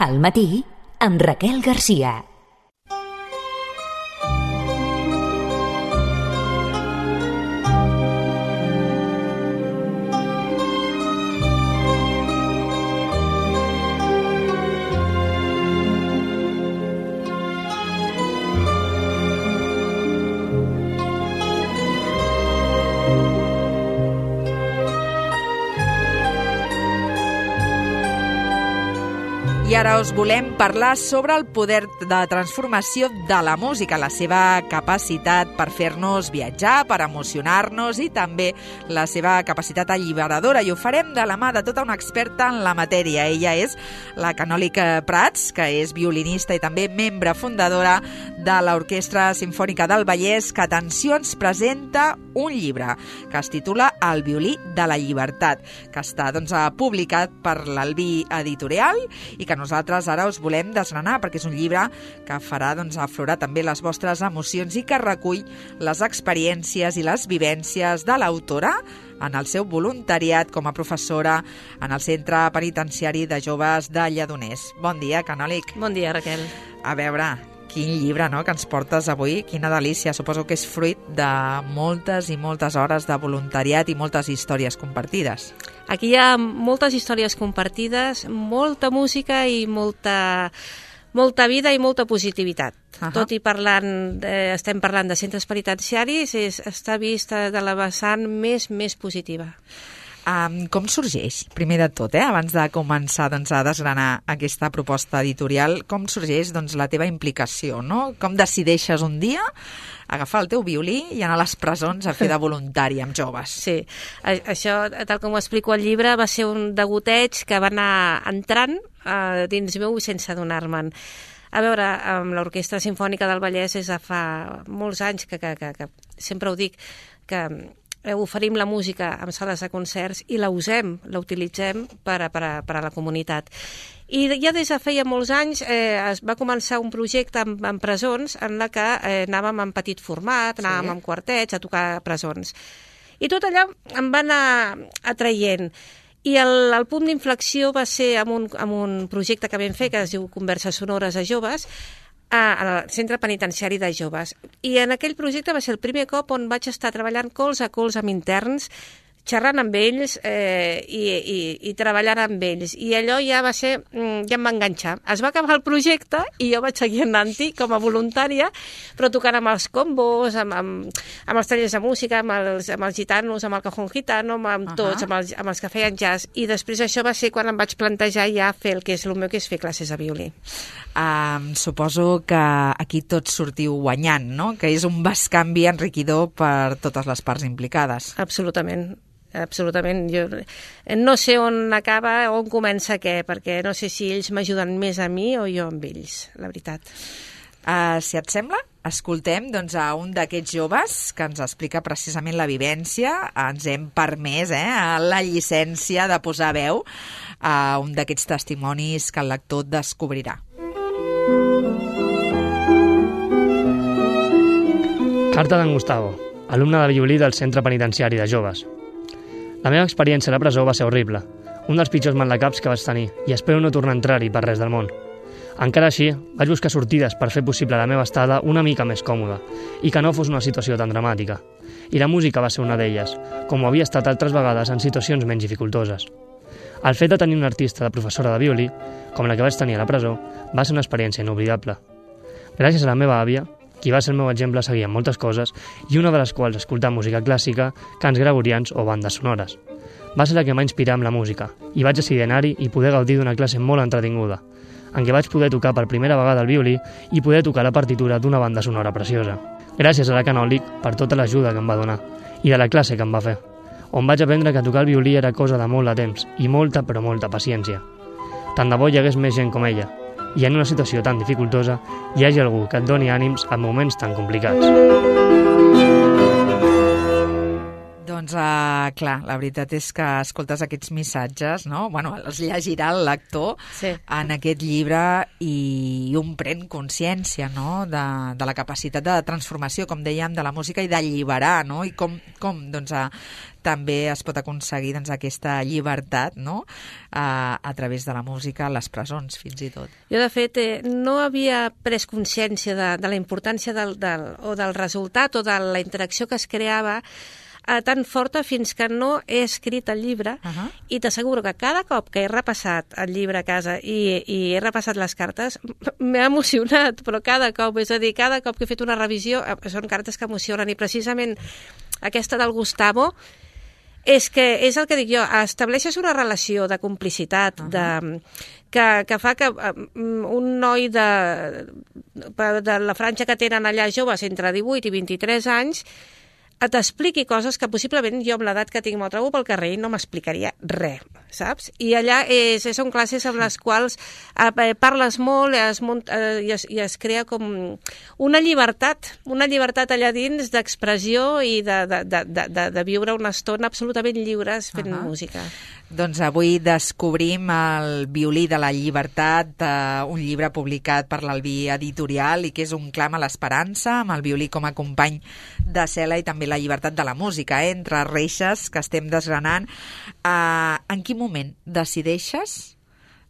Al matí, amb Raquel Garcia. I ara us volem parlar sobre el poder de transformació de la música, la seva capacitat per fer-nos viatjar, per emocionar-nos i també la seva capacitat alliberadora. I ho farem de la mà de tota una experta en la matèria. Ella és la Canòlic Prats, que és violinista i també membre fundadora de l'Orquestra Simfònica del Vallès, que, atenció, ens presenta un llibre que es titula El violí de la llibertat, que està publicat per l'Albí Editorial i que nosaltres ara us volem desgranar perquè és un llibre que farà aflorar també les vostres emocions i que recull les experiències i les vivències de l'autora en el seu voluntariat com a professora en el Centre Penitenciari de Joves de Lledoners. Bon dia, Canòlic. Bon dia, Raquel. A veure, quin llibre, no?, que ens portes avui, quina delícia. Suposo que és fruit de moltes i moltes hores de voluntariat i moltes històries compartides. Aquí hi ha moltes històries compartides, molta música i molta vida i molta positivitat. Tot i estem parlant de centres penitenciaris, està vista de la vessant més positiva. Com sorgeix, primer de tot, abans de començar a desgranar aquesta proposta editorial, com sorgeix la teva implicació, no? Com decideixes un dia agafar el teu violí i anar a les presons a fer de voluntari amb joves? Sí, això, tal com ho explico al llibre, va ser un degoteig que va anar entrant dins meu sense adonar-me'n. A veure, amb l'Orquestra Simfònica del Vallès és de fa molts anys que sempre ho dic, que oferim la música en sales de concerts i la utilitzem per a la comunitat. I ja des de feia molts anys es va començar un projecte en presons en la que anàvem en petit format, anàvem en quartets a tocar a presons. I tot allò em va anar atraient. I el punt d'inflexió va ser amb un projecte que vam fer que es diu Converses Sonores a Joves, al Centre Penitenciari de Joves. I en aquell projecte va ser el primer cop on vaig estar treballant colze a colze amb interns, xerrant amb ells i treballant amb ells. I allò ja em va enganxar. Es va acabar el projecte i jo vaig seguir anant-hi com a voluntària, però tocant amb els combos, amb els tallers de música, amb els gitanos, amb el cajón gitano, amb tots, amb els que feien jazz. I després això va ser quan em vaig plantejar ja fer el que és el meu, que és fer classes de violí. Suposo que aquí tots sortiu guanyant, no? Que és un bescanvi enriquidor per totes les parts implicades. Absolutament. Jo no sé on acaba, on comença què, perquè no sé si ells m'ajuden més a mi o jo amb ells, la veritat. Si et sembla, escoltem a un d'aquests joves que ens explica precisament la vivència. Ens hem permès la llicència de posar veu a un d'aquests testimonis que el lector descobrirà. Carta d'en Gustavo, alumne de violí del Centre Penitenciari de Joves. La meva experiència a la presó va ser horrible, un dels pitjors malacaps que vaig tenir, i espero no tornar a entrar-hi per res del món. Encara així, vaig buscar sortides per fer possible la meva estada una mica més còmoda, i que no fos una situació tan dramàtica. I la música va ser una d'elles, com ho havia estat altres vegades en situacions menys dificultoses. El fet de tenir una artista de professora de violí, com la que vaig tenir a la presó, va ser una experiència inoblidable. Gràcies a la meva àvia, qui va ser el meu exemple a seguir en moltes coses, i una de les quals escoltar música clàssica, cants gregorians o bandes sonores. Va ser la que m'ha inspirat amb la música, i vaig decidir anar-hi i poder gaudir d'una classe molt entretinguda, en què vaig poder tocar per primera vegada el violí i poder tocar la partitura d'una banda sonora preciosa. Gràcies a la Canòlic per tota l'ajuda que em va donar, i de la classe que em va fer, on vaig aprendre que tocar el violí era cosa de molt de temps i molta, però molta paciència. Tant de bo hi hagués més gent com ella, i en una situació tan dificultosa hi hagi algú que et doni ànims en moments tan complicats. Doncs, clar, la veritat és que escoltes aquests missatges, no? Bueno, els llegirà el lector en aquest llibre i un pren consciència, no?, de la capacitat de transformació, com dèiem, de la música i d'alliberar, no?, i com doncs, també es pot aconseguir doncs, aquesta llibertat, no?, a través de la música a les presons, fins i tot. Jo, de fet, no havia pres consciència de la importància del resultat o de la interacció que es creava tan forta fins que no he escrit el llibre i t'asseguro que cada cop que he repassat el llibre a casa i he repassat les cartes m'ha emocionat, però cada cop, és a dir, cada cop que he fet una revisió són cartes que emocionen i precisament aquesta del Gustavo és el que dic jo, estableixes una relació de complicitat que fa que un noi de la franja que tenen allà joves entre 18 i 23 anys t'expliqui coses que possiblement jo amb l'edat que tinc me'l trobo pel carrer i no m'explicaria res, saps? I allà són classes amb les quals parles molt i es crea com una llibertat allà dins d'expressió i de viure una estona absolutament lliures fent música. Doncs avui descobrim el violí de la llibertat, un llibre publicat per l'Albí Editorial i que és un clam a l'esperança, amb el violí com a company de cel·la i també la llibertat de la música, entre reixes que estem desgranant. En quin moment decideixes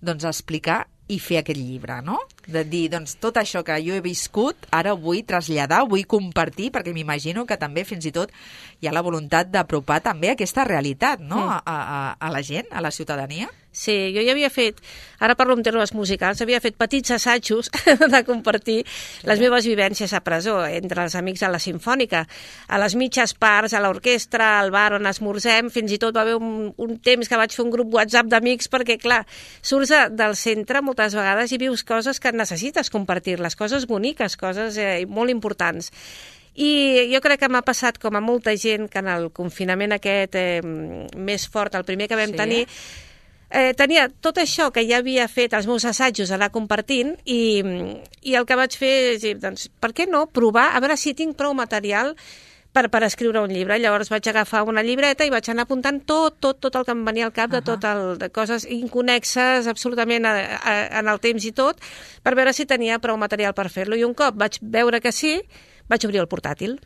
explicar i fer aquest llibre, no? De dir, doncs, tot això que jo he viscut, ara ho vull traslladar, ho vull compartir, perquè m'imagino que també, fins i tot, hi ha la voluntat d'apropar també aquesta realitat, no?, a la gent, a la ciutadania. Sí, jo ja havia fet, ara parlo en termes musicals, havia fet petits assajos de compartir les meves vivències a presó, entre els amics a la Simfònica, a les mitges parts, a l'orquestra, al bar on esmorzem, fins i tot va haver un temps que vaig fer un grup WhatsApp d'amics, perquè, clar, surts del centre moltes vegades i vius coses que necessites compartir-les, coses boniques, coses molt importants. I jo crec que m'ha passat com a molta gent que en el confinament aquest més fort, el primer que vam tenir, tenia tot això que ja havia fet els meus assajos, anar compartint, i el que vaig fer és dir, doncs, per què no provar, a veure si tinc prou material per escriure un llibre. Llavors vaig agafar una llibreta i vaig anar apuntant tot el que em venia al cap, de coses inconnexes absolutament en el temps i tot, per veure si tenia prou material per fer-lo. I un cop vaig veure que sí, vaig obrir el portàtil.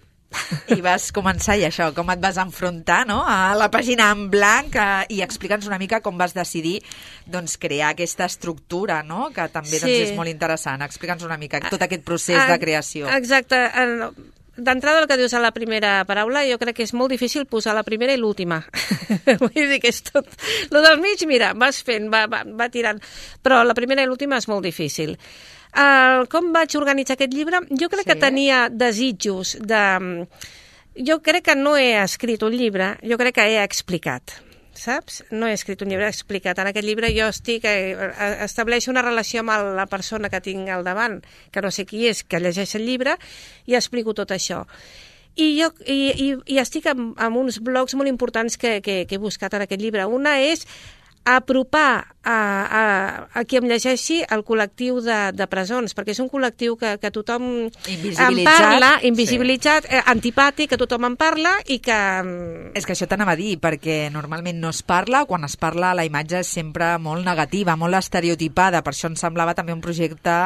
I vas començar, i això, com et vas enfrontar, no?, a la pàgina en blanc i explica'ns una mica com vas decidir doncs, crear aquesta estructura, no?, que també doncs, és molt interessant. Explica'ns una mica tot aquest procés de creació. Exacte. D'entrada, el que dius a la primera paraula, jo crec que és molt difícil posar la primera i l'última. Vull dir que és tot... Lo del mig, mira, vas fent, va tirant. Però la primera i l'última és molt difícil. Com vaig organitzar aquest llibre? Jo crec que tenia desitjos de... Jo crec que no he escrit un llibre, jo crec que he explicat. Saps? No he escrit un llibre explicat. En aquest llibre jo estableixo una relació amb la persona que tinc al davant, que no sé qui és, que llegeix el llibre, i explico tot això. I estic amb uns blocs molt importants que he buscat en aquest llibre. Una és apropar a qui em llegeixi el col·lectiu de presons, perquè és un col·lectiu que tothom en parla, invisibilitzat, antipàtic, que tothom en parla i que... És que això t'anava a dir, perquè normalment no es parla, quan es parla la imatge és sempre molt negativa, molt estereotipada, per això em semblava també un projecte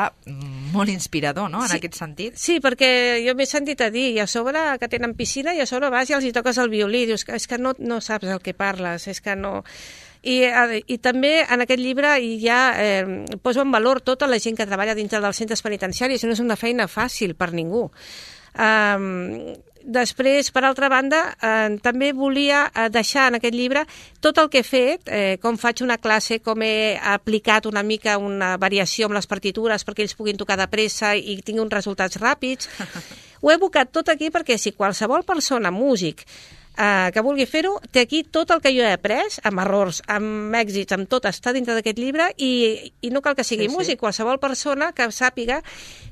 molt inspirador, no?, en aquest sentit. Sí, perquè jo m'he sentit a dir, i a sobre que tenen piscina, i a sobre vas i els hi toques el violí, dius, és que no saps el que parles, és que no... I també en aquest llibre ja poso en valor tota la gent que treballa dintre dels centres penitenciaris, no és una feina fàcil per ningú. Després, per altra banda, també volia deixar en aquest llibre tot el que he fet, com faig una classe, com he aplicat una mica una variació amb les partitures perquè ells puguin tocar de pressa i tinguin uns resultats ràpids. Ho he abocat tot aquí perquè si qualsevol persona, músic, que vulgui fer-ho, té aquí tot el que jo he après, amb errors, amb èxits, amb tot, està dintre d'aquest llibre i no cal que sigui músic, qualsevol persona que sàpiga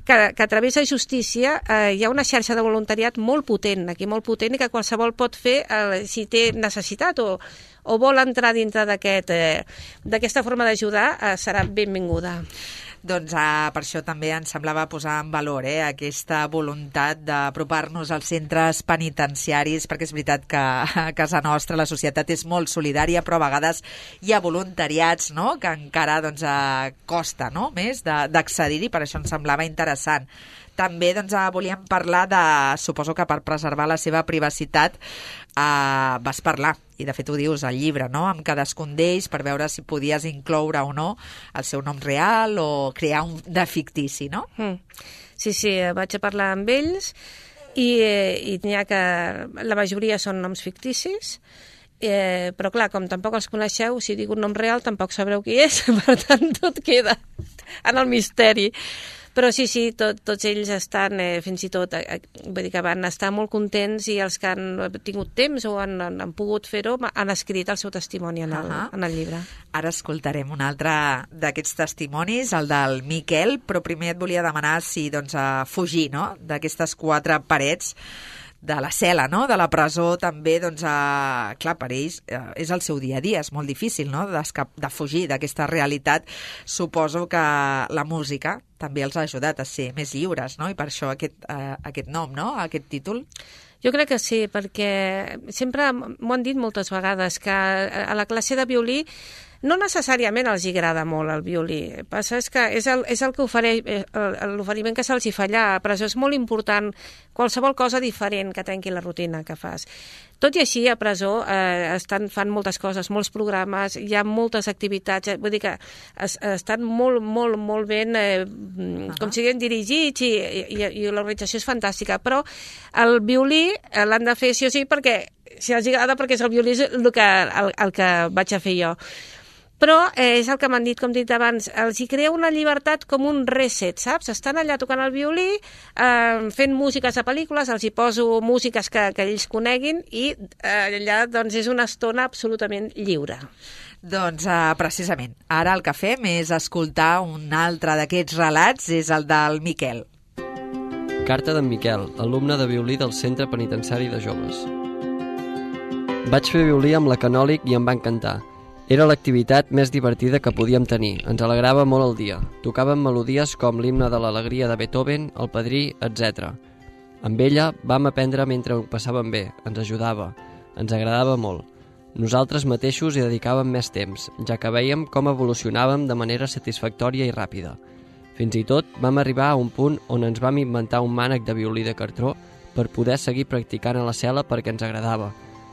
que a través de justícia hi ha una xarxa de voluntariat molt potent, aquí molt potent, i que qualsevol pot fer si té necessitat o vol entrar dintre d'aquesta forma d'ajudar, serà benvinguda. Doncs per això també ens semblava posar en valor aquesta voluntat d'apropar-nos als centres penitenciaris, perquè és veritat que a casa nostra la societat és molt solidària, però a vegades hi ha voluntariats, no?, que encara costa, no?, més d'accedir-hi, per això ens semblava interessant. També volíem parlar suposo que per preservar la seva privacitat vas parlar, i de fet ho dius al llibre, no?, amb cadascun d'ells per veure si podies incloure o no el seu nom real o crear un de fictici, no? Sí, vaig a parlar amb ells i n'hi ha que la majoria són noms ficticis, però clar, com tampoc els coneixeu, si dic un nom real tampoc sabreu qui és, per tant tot queda en el misteri. Però sí, tots ells estan, fins i tot, vull dir que van estar molt contents, i els que han tingut temps o han pogut fer-ho han escrit el seu testimoni en el llibre. Ara escoltarem un altre d'aquests testimonis, el del Miquel, però primer et volia demanar si fugir, no?, d'aquestes 4 parets de la cel·la, no?, de la presó també, clar, per ells és el seu dia a dia, és molt difícil, no?, de fugir d'aquesta realitat. Suposo que la música també els ha ajudat a ser més lliures, no?, i per això aquest nom, no?, aquest títol. Jo crec que sí, perquè sempre m'ho han dit moltes vegades, que a la classe de violí no necessàriament els agrada molt el violí. El que passa és que és el que ofereix, l'oferiment que se'ls hi fa allà. A presó és molt important qualsevol cosa diferent que trenqui la rutina que fas. Tot i així, a presó fan moltes coses, molts programes, hi ha moltes activitats, vull dir que estan molt, molt, molt ben, com siguin dirigits, i l'organització és fantàstica, però el violí l'han de fer sí o sí, perquè si els agrada, perquè és el violí el que vaig a fer jo. Però és el que m'han dit, com he dit abans, els hi crea una llibertat com un reset, saps? Estan allà tocant el violí, fent músiques a pel·lícules, els hi poso músiques que ells coneguin, i allà és una estona absolutament lliure. Doncs precisament, ara el que fem és escoltar un altre d'aquests relats, és el del Miquel. Carta d'en Miquel, alumne de violí del Centre Penitenciari de Joves. Vaig fer violí amb la Canòlic i em va encantar. Era l'activitat més divertida que podíem tenir, ens alegrava molt el dia. Tocàvem melodies com l'himne de l'alegria de Beethoven, el Padrí, etc. Amb ella vam aprendre mentre ho passàvem bé, ens ajudava, ens agradava molt. Nosaltres mateixos hi dedicàvem més temps, ja que vèiem com evolucionàvem de manera satisfactòria i ràpida. Fins i tot vam arribar a un punt on ens vam inventar un mànec de violí de cartró per poder seguir practicant a la cel·la perquè ens agradava.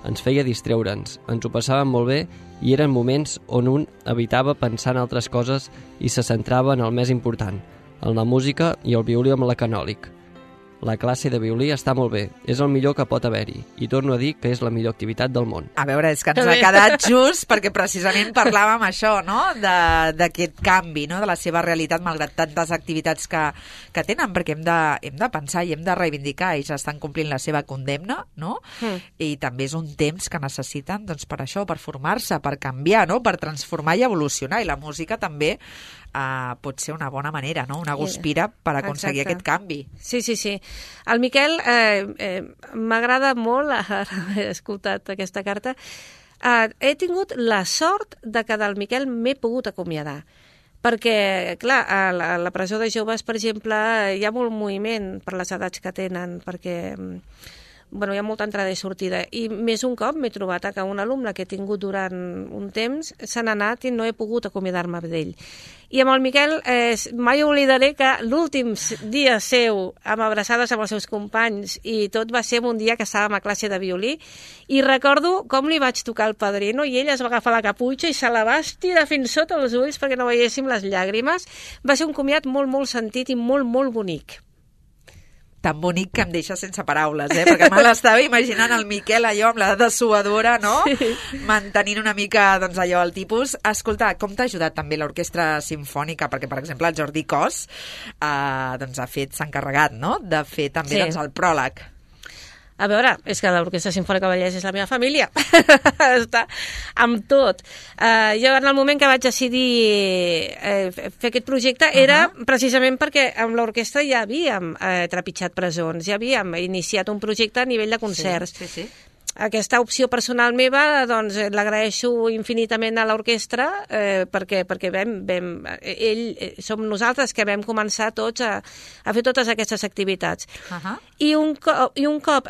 Ens feia distreure'ns, ens ho passàvem molt bé i eren moments on un evitava pensar en altres coses i se centrava en el més important, en la música i el violí amb la Canòlic. La classe de violí està molt bé, és el millor que pot haver-hi, i torno a dir que és la millor activitat del món. A veure, és que ens ha quedat just perquè precisament parlàvem això, no?, d'aquest canvi, no?, de la seva realitat malgrat tantes activitats que tenen, perquè hem de pensar i hem de reivindicar, ells estan complint la seva condemna, no?, i també és un temps que necessiten, doncs, per això, per formar-se, per canviar, no?, per transformar i evolucionar, i la música també pot ser una bona manera, no?, una guspira per aconseguir aquest canvi. Sí. El Miquel m'agrada molt, he escoltat aquesta carta, he tingut la sort de que del Miquel m'he pogut acomiadar. Perquè, clar, a la presó de joves, per exemple, hi ha molt moviment per les edats que tenen, perquè hi ha molta entrada i sortida. I més un cop m'he trobat que un alumne que he tingut durant un temps se n'ha anat i no he pogut acomiadar-me d'ell. I amb el Miquel mai oblidaré que l'últim dia seu, amb abraçades amb els seus companys, i tot va ser un dia que estàvem a classe de violí, i recordo com li vaig tocar el padrino i ell es va agafar la caputxa i se la va estirar fins sota els ulls perquè no veiéssim les llàgrimes. Va ser un comiat molt, molt sentit i molt, molt bonic. Tan bonic que em deixa sense paraules, perquè me l'estava imaginant el Miquel allò amb la dessuadora, no? Sí. Mantenint una mica, doncs, allò, el tipus. Escolta, com t'ha ajudat també l'Orquestra Simfònica? Perquè, per exemple, el Jordi Cos doncs, s'ha encarregat, no?, de fer també doncs, el pròleg. A veure, és que l'Orquestra Simfònica Vallès és la meva família. Està amb tot. Jo, en el moment que vaig decidir fer aquest projecte, era precisament perquè amb l'orquestra ja havíem trepitjat presons, ja havíem iniciat un projecte a nivell de concerts. Sí. aquesta opció personal meva doncs l'agraeixo infinitament a l'orquestra perquè som nosaltres que vam començar tots a fer totes aquestes activitats. I un cop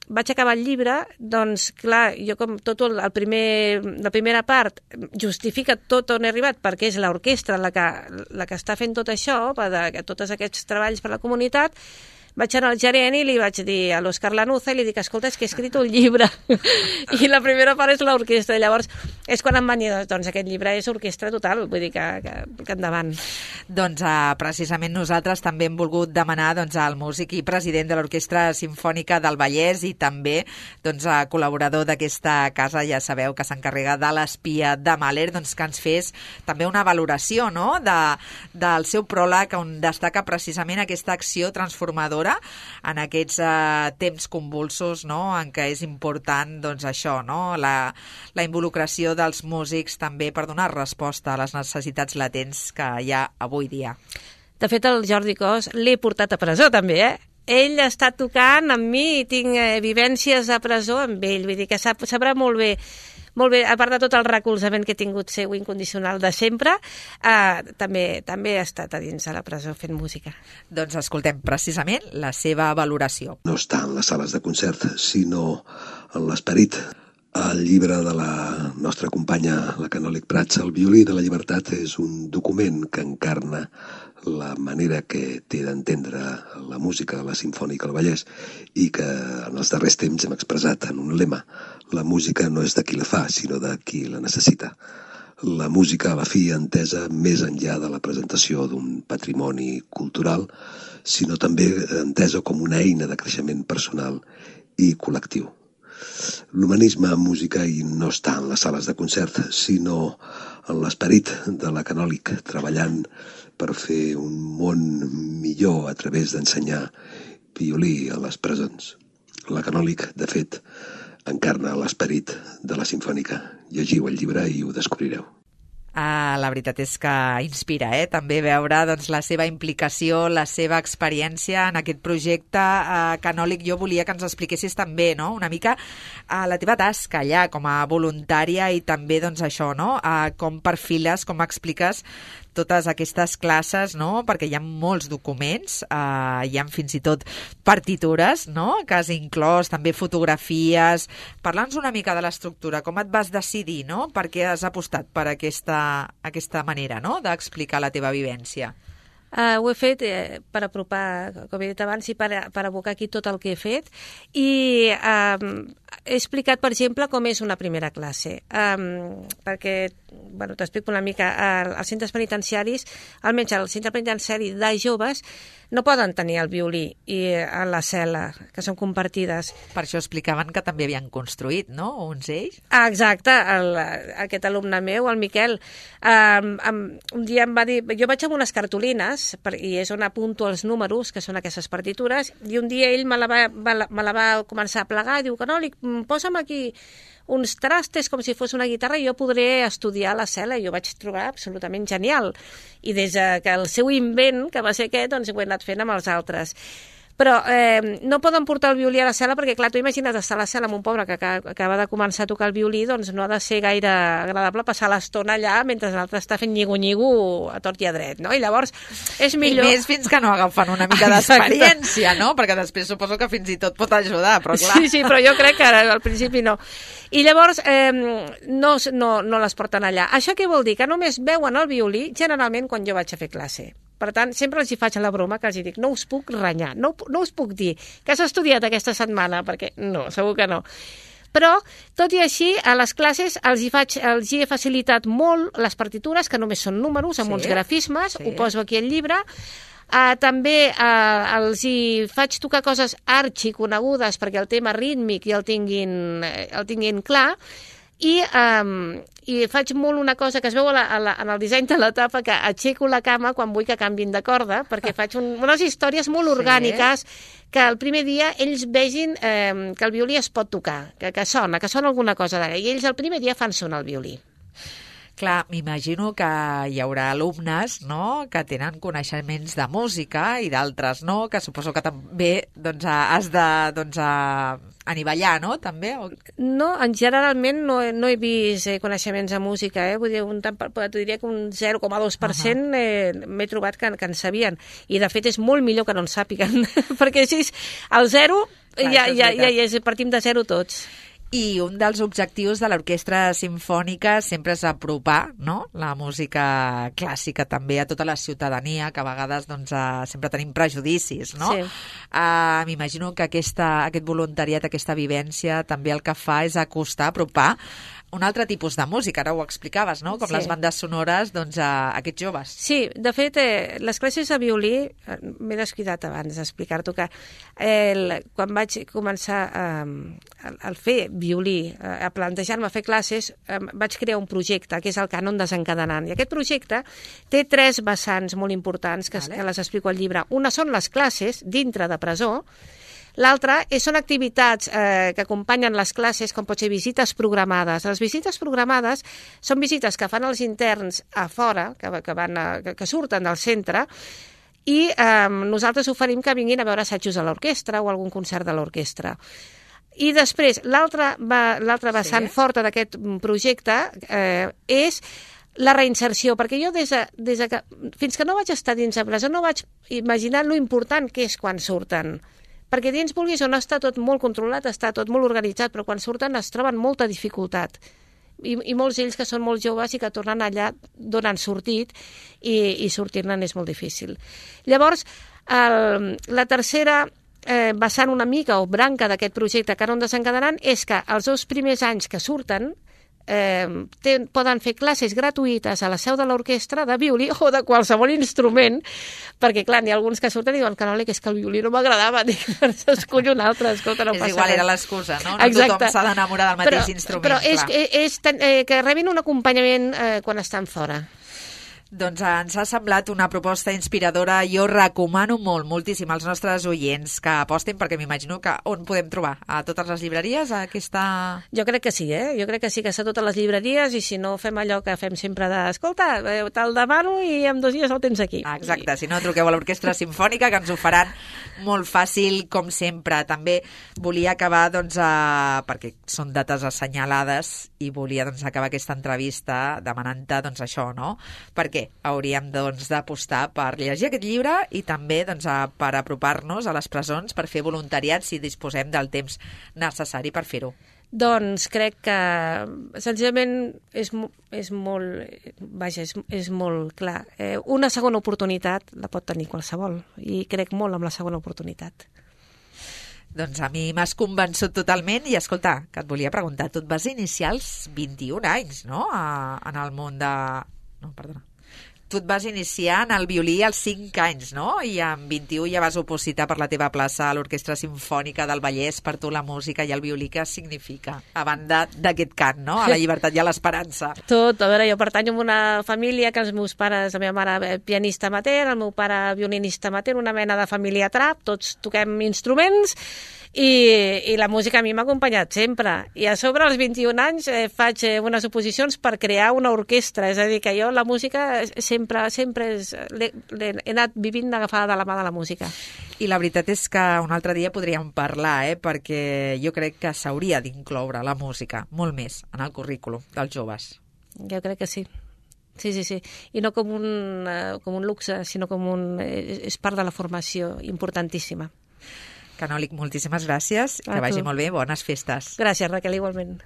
vaig acabar el llibre, doncs, clar, jo com la primera part justifica tot on he arribat, perquè és l'orquestra la que està fent tot això, tots aquests treballs per a la comunitat. Vaig anar al gerent i li vaig dir a l'Òscar Lanuza i li dic, escolta, és que he escrit un llibre i la primera part és l'orquestra. I llavors és quan em van dir, doncs aquest llibre és orquestra total, vull dir que endavant. Doncs precisament nosaltres també hem volgut demanar al músic i president de l'Orquestra Simfònica del Vallès i també col·laborador d'aquesta casa, ja sabeu que s'encarrega de l'Espia de Mahler, que ens fes també una valoració del seu pròleg on destaca precisament aquesta acció transformadora en aquests temps convulsos, en què és important això, la involucració dels músics també per donar resposta a les necessitats latents que hi ha avui dia. De fet, el Jordi Cos l'he portat a presó també, Ell està tocant amb mi i tinc vivències a presó amb ell, vull dir que sabrà molt bé, a part de tot el recolzament que he tingut seu incondicional de sempre, també he estat a dins de la presó fent música. Doncs escoltem precisament la seva valoració. No està en les sales de concert, sinó en l'esperit. El llibre de la nostra companya, la Canòlic Prats, El violí de la llibertat, és un document que encarna la manera que té d'entendre la música de la Simfònica del Vallès i que en els darrers temps hem expressat en un lema: la música no és de qui la fa, sinó de qui la necessita. La música, a la fi, entesa més enllà de la presentació d'un patrimoni cultural, sinó també entesa com una eina de creixement personal i col·lectiu. L'humanisme en música i no està en les sales de concert, sinó en l'esperit de la Canòlic, treballant per fer un món millor a través d'ensenyar violí a les presons. La Canòlic, de fet, encarna l'esperit de la Simfònica. Llegiu el llibre i ho descobrireu. La veritat és que inspira, també veure la seva implicació, la seva experiència en aquest projecte. Canòlic, jo volia que ens expliquessis també una mica la teva tasca allà com a voluntària i també això, com perfiles, com expliques totes aquestes classes, perquè hi ha molts documents, hi ha fins i tot partitures, que has inclòs, també fotografies. Parla'ns una mica de l'estructura, com et vas decidir, per què has apostat per aquesta manera d'explicar la teva vivència? Ho he fet per apropar, com he dit abans, i per abocar aquí tot el que he fet, i he explicat, per exemple, com és una primera classe, perquè, t'explico una mica, als centres penitenciaris, almenys al centre penitenciari de joves, no poden tenir el violí a la cel·la, que són compartides. Per això explicaven que també havien construït, uns ells? Exacte, aquest alumne meu, el Miquel, un dia em va dir, jo vaig amb unes cartolines, i és on apunto els números, que són aquestes partitures, i un dia ell me la va començar a plegar, i diu, Canòlic, posa'm aquí uns trastes com si fos una guitarra i jo podré estudiar a la cel·la, i jo vaig trobar absolutament genial. I des que el seu invent, que va ser aquest, doncs ho he anat fent amb els altres. Però no poden portar el violí a la cel·la perquè, clar, tu imagina't estar a la cel·la amb un pobre que acaba de començar a tocar el violí, doncs no ha de ser gaire agradable passar l'estona allà mentre l'altre està fent nyigo-nyigo a tort i a dret, no? I llavors és millor... I més fins que no agafen una mica d'experiència, no? Perquè després suposo que fins i tot pot ajudar, però clar... Sí, però jo crec que al principi no. I llavors no les porten allà. Això què vol dir? Que només veuen el violí generalment quan jo vaig a fer classe. Per tant, sempre els hi faig la broma que els hi dic, no us puc renyar, no us puc dir que has estudiat aquesta setmana, perquè no, segur que no. Però, tot i així, a les classes els hi he facilitat molt les partitures, que només són números, amb uns grafismes, ho poso aquí al llibre. També els hi faig tocar coses arxiconegudes perquè el tema rítmic ja el tinguin clar. I faig molt una cosa que es veu en el disseny de la tapa, que aixeco la cama quan vull que canvin de corda, perquè faig unes històries molt orgàniques que el primer dia ells vegin que el violí es pot tocar, que sona alguna cosa d'ara, i ells el primer dia fan sonar el violí. Clar, m'imagino que hi haurà alumnes que tenen coneixements de música i d'altres no, que suposo que també has de anivellar, no? També? No, generalment no he vist coneixements de música, vull dir, t'ho diria que un 0,2% m'he trobat que en sabien. I, de fet, és molt millor que no en sàpiguen, perquè així, al 0, ja partim de 0 tots. I un dels objectius de l'Orquestra Simfònica sempre és apropar, no?, la música clàssica també a tota la ciutadania, que a vegades doncs, sempre tenim prejudicis, no? Sí. M'imagino que aquest voluntariat, aquesta vivència, també el que fa és acostar, apropar un altre tipus de música, ara ho explicaves, no?, com les bandes sonores, doncs, a aquests joves. Sí, de fet, les classes de violí, m'he descuidat abans d'explicar-t'ho, que quan vaig començar a fer violí, a plantejar-me fer classes, vaig crear un projecte, que és el Cànon Desencadenant. I aquest projecte té 3 vessants molt importants, que les explico al llibre. Una són les classes dintre de presó, l'altra són activitats que acompanyen les classes, com pot ser visites programades. Les visites programades són visites que fan els interns a fora, que surten del centre, i nosaltres oferim que vinguin a veure assajos a l'orquestra o algun concert de l'orquestra. I després, l'altra vessant forta d'aquest projecte és la reinserció, perquè jo fins que no vaig estar dins de presó no vaig imaginar lo important que és quan surten. Perquè dins, vulguis o no, està tot molt controlat, està tot molt organitzat, però quan surten es troben molta dificultat. I molts d'ells que són molt joves i que tornen allà d'on han sortit i sortir-ne és molt difícil. Llavors, la tercera vessant una mica o branca d'aquest projecte Cànon Desencadenant és que els 2 primers anys que surten poden fer classes gratuïtes a la seu de l'orquestra de violí o de qualsevol instrument, perquè, clar, n'hi ha alguns que surten i diuen que el violí no m'agradava, dic, escull un altre, escolta, no passa res. És igual, era l'excusa, no? No tothom s'ha d'enamorar del mateix instrument. Però és que rebin un acompanyament quan estan fora. Doncs ens ha semblat una proposta inspiradora. Jo recomano moltíssim als nostres oients que apostin, perquè m'imagino que on podem trobar? A totes les llibreries? Jo crec que sí, Jo crec que sí que està a totes les llibreries, i si no fem allò que fem sempre escolta, te'l demano i en 2 dies el tens aquí. Exacte, si no, truqueu a l'Orquestra Simfònica, que ens ho faran molt fàcil, com sempre. També volia acabar, doncs, perquè són dates assenyalades, i volia acabar aquesta entrevista demanant-te, doncs, això, no? Perquè hauríem d'apostar per llegir aquest llibre i també per apropar-nos a les presons, per fer voluntariat si disposem del temps necessari per fer-ho. Doncs crec que senzillament és molt clar. Una segona oportunitat la pot tenir qualsevol, i crec molt en la segona oportunitat. Doncs a mi m'has convençut totalment, i escolta, que et volia preguntar, tu et vas iniciar als 21 anys, no?, en el món de... No, perdona. Tu et vas iniciar en el violí als 5 anys, no? I amb 21 ja vas opositar per la teva plaça a l'Orquestra Simfònica del Vallès. Per tu la música i el violí, què significa? A banda d'aquest cant, no? A la llibertat i a l'esperança. Tot. A veure, jo pertanyo a una família que els meus pares, la meva mare pianista amateur, el meu pare violinista amateur, una mena de família trap, tots toquem instruments, i la música a mi m'ha acompanyat sempre. I a sobre, als 21 anys, faig unes oposicions per crear una orquestra. És a dir, que jo la música sempre l'he anat vivint agafada de la mà de la música. I la veritat és que un altre dia podríem parlar, perquè jo crec que s'hauria d'incloure la música molt més en el currículum dels joves. Jo crec que sí. Sí. I no com un luxe, sinó és part de la formació importantíssima. Canòlic, moltíssimes gràcies, que vagi molt bé, bones festes. Gràcies, Raquel, igualment.